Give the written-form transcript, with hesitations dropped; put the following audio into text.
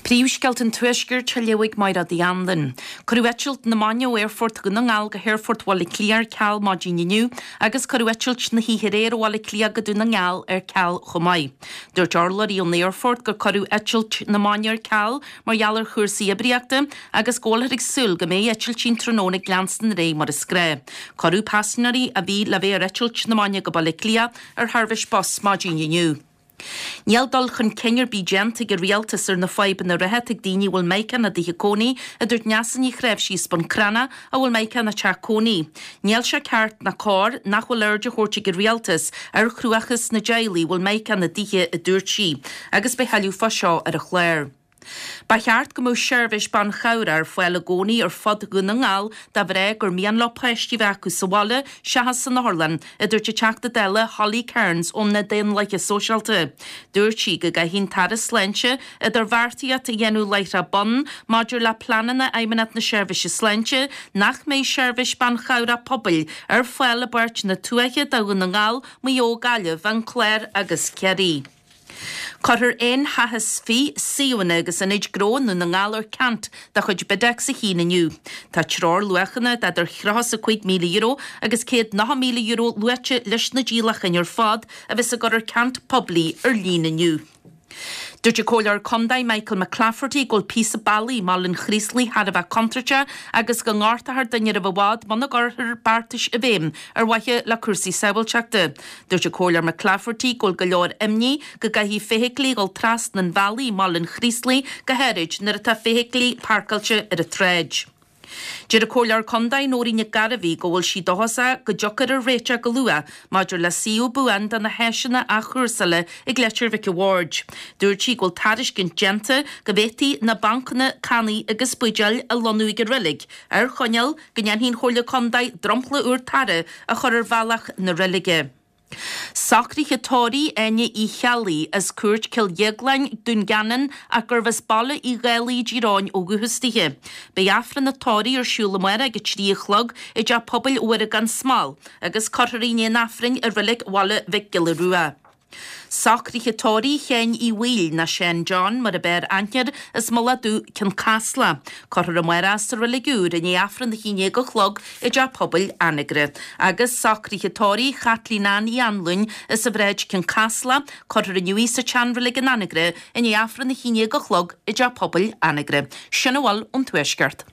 Príomhscéalta an Tuaiscirt á léamh ag Máire Uí Anluain. Cuireadh eitilt na maidine ó Aerfort Dhún na nGall go hAerfort Bhaile Átha Cliath ar ceal maidin inniu agus cuireadh eitilt na hoíche aréir ó Bhaile Átha Cliath go Dún na nGall ar ceal chomh maith. Dúirt urlabhraí ón aerfort gur cuireadh eitilt na maidine ar ceal mar gheall ar chúrsaí oibríochta agus go bhfuilthear ag súil go mbeidh eitiltí an tráthnóna ag leanstan ar aghaidh mar is gnáth. Cuireadh paisinéirí a bhí le bheith ar eitilt na maidine go Baile Átha Cliath ar sheirbhís bus maidin inniu. Níl dul chun cinn ar bith déanta ag an Rialtas ar na fadhbanna reatha atá ag daoine a bhfuil Mica ina dtithe cónaí, a dúirt Neasa Ní Chnáimhsí as Bun Cranncha a bhfuil Mica ina teach cónaí. Níl sé ceart ná cóir nach bhfuil aird á thabhairt ag an Rialtas ar chruachás na dteaghlaigh a bhfuil Mica ina dtithe, a dúirt sí. Agus beidh tuilleadh fá seo ar an chlár. Ba cheart go mbeadh seirbhís banchabhrach ar fáil i gcónaí ar fud Dhún na nGall do mhná gur mian leo páistí a bheith acu sa bhaile seachas san otharlann, a dúirt an Teachta Dála Holly Cairns ó na Daonlathaithe Sóisialta. Dúirt sí go gcaithfidh an tAire Sláinte idirbheartaíocht a dhéanamh láithreach bonn maidir le pleananna Fheidhmeannacht na Seirbhíse Sláinte nach mbeidh seirbhís banchabhrach pobail ar fáil i bpáirteanna tuaithe de Dhún na nGall, Maigh Eo, Gaillimh, an Clár agus Ciarraí. Cuirfear N20, suíomhanna agus ionaid gnó i nDún na nGall ar ceant de chuid Bidex 1 inniu. Tá treoirluachanna d'idir €35,000 agus €190,000 luaite leis na díolacháin ar fad a bheas á gcur ar ceant poiblí ar líne inniu. Dúirt an Comhairleoir Contae Michael McClafferty go bhfuil píosa bealaigh i mBaile an Chraoslaigh thar a bheith contúirteach agus go ngortófar duine roimh i bhfad muna gcuirfear beartais i bhfeidhm ar mhaithe le cúrsaí sábháilteachta. Dúirt an Comhairleoir McClafferty go bhfuil go leor imní go gcaithfidh feithiclí dhul trasna an bhealaigh i mBaile an Chraoslaigh, go háirid nuair atá feithiclí páirceáilte ar an tsráid. Deir an Comhairleoir Contae Nóirín Nic Gairbhí go bhfuil sí dóchasach go dtiocfar ar réiteach go luath maidir le suíomh buan do na háiseanna athchúrsála ag Leitir Mhic a' Bhaird. Dúirt sí go bhfuil tairiscint déanta go bhféadfaí na bancanna cannaí agus buidéil a lonnú ag an reilig ar choinníoll go ndéanfaidh an Chomhairle Contae dromchla úr tarra a chur ar bhealach na reilige. Socruithe tórraimh Áine Uí Cheallaigh as Cúirt Cill Dhéagláin, Dún Geanainn ach gurbh as Baile Uí Dhálaigh i dTír Eoghain ó dhúchas dithe. Beidh Aifreann an tórraimh ar siúl amárach ag 3 a chlog i dTeach Pobail Mhuire gan Smál agus cuirfear í i ndiaidh an Aifrinn i Reilig Bhaile Mhic Giolla Rua. Socruithe tórraimh Sheáin Uí Bhaoill, nó Seán John mar ab fhearr aithne air, as Mullach Dubh, Cionn Caslach. Cuirfear amárach sa Reilig Úr i ndiaidh Aifreann a 11 a chlog i dTeach Pobail Anagaire. Agus socruithe tórraimh Chaitlín Ann Uí Anluain as an Bhráid, Cionn Caslach. Cuirfear inniu í sa tSeanreilig in Anagaire i ndiaidh Aifreann a 11 a chlog i dTeach Pobail Anagaire. Sin a bhfuil ón Tuaisceart.